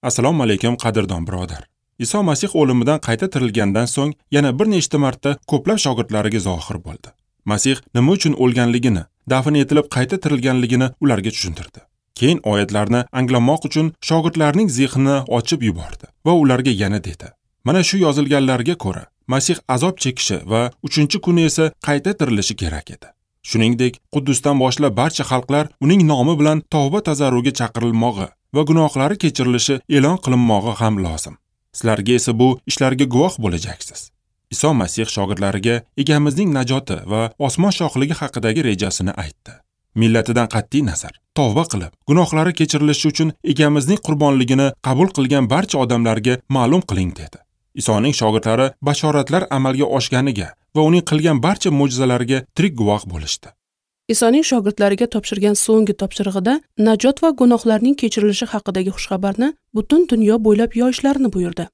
Assalomu alaykum qadrdon birodar. Iso Masih o'limidan qayta tirilgandan so'ng yana bir nechta marta ko'plab shogirdlariga zohir bo'ldi. Masih nima uchun o'lganligini, dafn etilib qayta tirilganligini ularga tushuntirdi. Keyin oyatlarni anglamoq uchun shogirdlarning zehnini ochib yubordi va ularga yana dedi: Mana shu yozilganlarga ko'ra, Masih azob chekishi va 3-kuni esa qayta tirilishi kerak edi. Shuningdek, Quddusdan boshlab barcha xalqlar uning nomi bilan tavba tazarruga chaqirilmog'i va gunohlari kechirilishi e'lon qilinmog'i ham lozim. Sizlarga esa bu ishlarga guvoh bo'lajaksiz. Iso Masih shogirdlariga egamizning najoti va osmon shohligi haqidagi rejasini aytdi. Millatidan qat'iy nazar, tavba qilib, gunohlari kechirilishi uchun egamizning qurbonligini qabul qilgan barcha odamlarga ma'lum qiling dedi. Isoning shogirdlari bashoratlar amalga oshganiga va uning qilgan barcha mo'jizalariga tirik guvoh bo'lishdi. Isoning shogirdlariga topshirgan so'nggi topshirig'ida najot va gunohlarning kechirilishi haqidagi xushxabarni butun dunyo bo'ylab yoyishlarini buyurdi.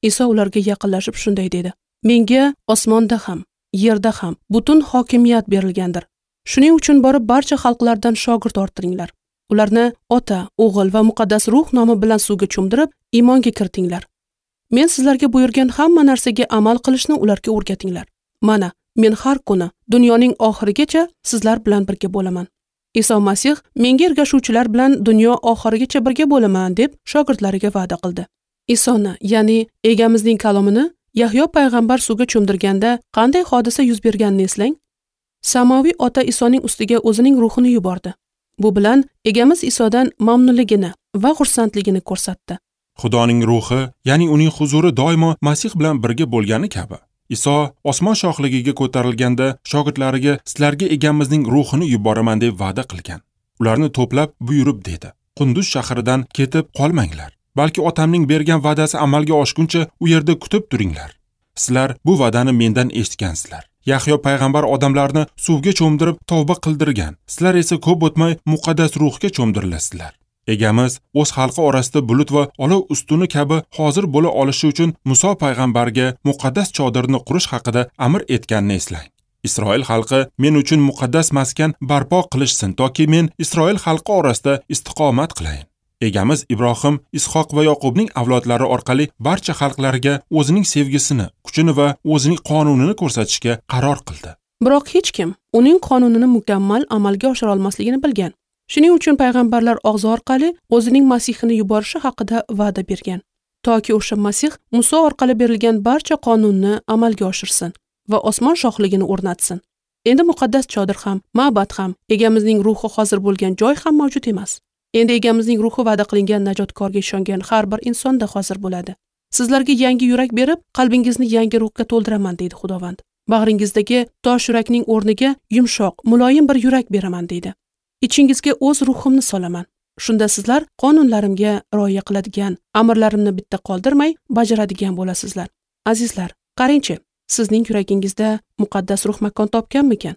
Iso ularga yaqinlashib shunday dedi: Menga osmonda ham, yerda ham butun hokimiyat berilgandir. Shuning uchun borib barcha xalqlardan shogird orttiringlar. Ularni Ota, O'g'il va Muqaddas Ruh nomi bilan suvga cho'mdirib, iymonga kiritinglar. Men sizlarga buyurgan hamma narsaga amal qilishni ularga o'rgatinglar. Mana, men har kuni dunyoning oxirigacha sizlar bilan birga bo'laman. Iso Masih menga ergashuvchilar bilan dunyo oxirigacha birga bo'laman deb shogirdlariga va'da qildi. Isoni, ya'ni egamizning kalomini Yahyo payg'ambar suvga cho'mdirganda qanday hodisa yuz berganini eslang. Samoviy Ota Isoning ustiga o'zining ruhini yubordi. Bu bilan egamiz Isodan mamnunligini va xursandligini ko'rsatdi. Xudoning ruhi, ya'ni uning huzuri doimo Masih bilan birga bo'lgani kabi, Iso osmon shohligiga ko'tarilganda shogirdlariga sizlarga egamizning ruhini yuboraman deb va'da qilgan. Ularni to'plab buyurib dedi: Qunduz shahridan ketib qolmanglar, balki otamning bergan va'dasi amalga oshguncha u yerda kutib turinglar. Sizlar bu va'dani mendan eshitgansizlar. Yahyo payg'ambar odamlarni suvga cho'mdirib tavba qildirgan. Sizlar esa ko'p o'tmay muqaddas ruhga cho'mdirilasizlar. Egamiz o'z xalqi orasida bulut va olov ustuni kabi hozir bo'la olishi uchun Muso payg'ambarga muqaddas chodirni qurish haqida amr etganini eslang. Isroil xalqi men uchun muqaddas maskan barpo qilishsin, toki men Isroil xalqi orasida istiqomat qilayin. Egamiz Ibrohim, Ishoq va Yoqubning avlodlari orqali barcha xalqlarga o'zining sevgisini, kuchini va o'zining qonunini ko'rsatishga qaror qildi. Biroq hech kim uning qonunini mukammal amalga oshira olmasligini bilgan. Shuning uchun payg'ambarlar og'zi orqali o'zining Masihini yuborishi haqida va'da bergan, toki o'sha Masih Muso orqali berilgan barcha qonunni amalga oshirsin va osmon shohligini o'rnatsin. Endi muqaddas chodir ham, ma'bad ham, egamizning ruhi hozir bo'lgan joy ham mavjud emas. Endi egamizning ruhi va'da qilingan najotkorga ishongan har bir insonda hozir bo'ladi. Sizlarga yangi yurak berib, qalbingizni yangi ruhga to'ldiraman, deydi Xudovand. Bag'ringizdagi tosh yurakning o'rniga yumshoq, muloyim bir yurak beraman, deydi. Ichingizga o'z ruhimni solaman. Shunda sizlar qonunlarimga rioya qiladigan, amrlarimni bitta qoldirmay bajaradigan bo'lasizlar. Azizlar, qarangchi, sizning yuragingizda muqaddas ruh makon topganmikan?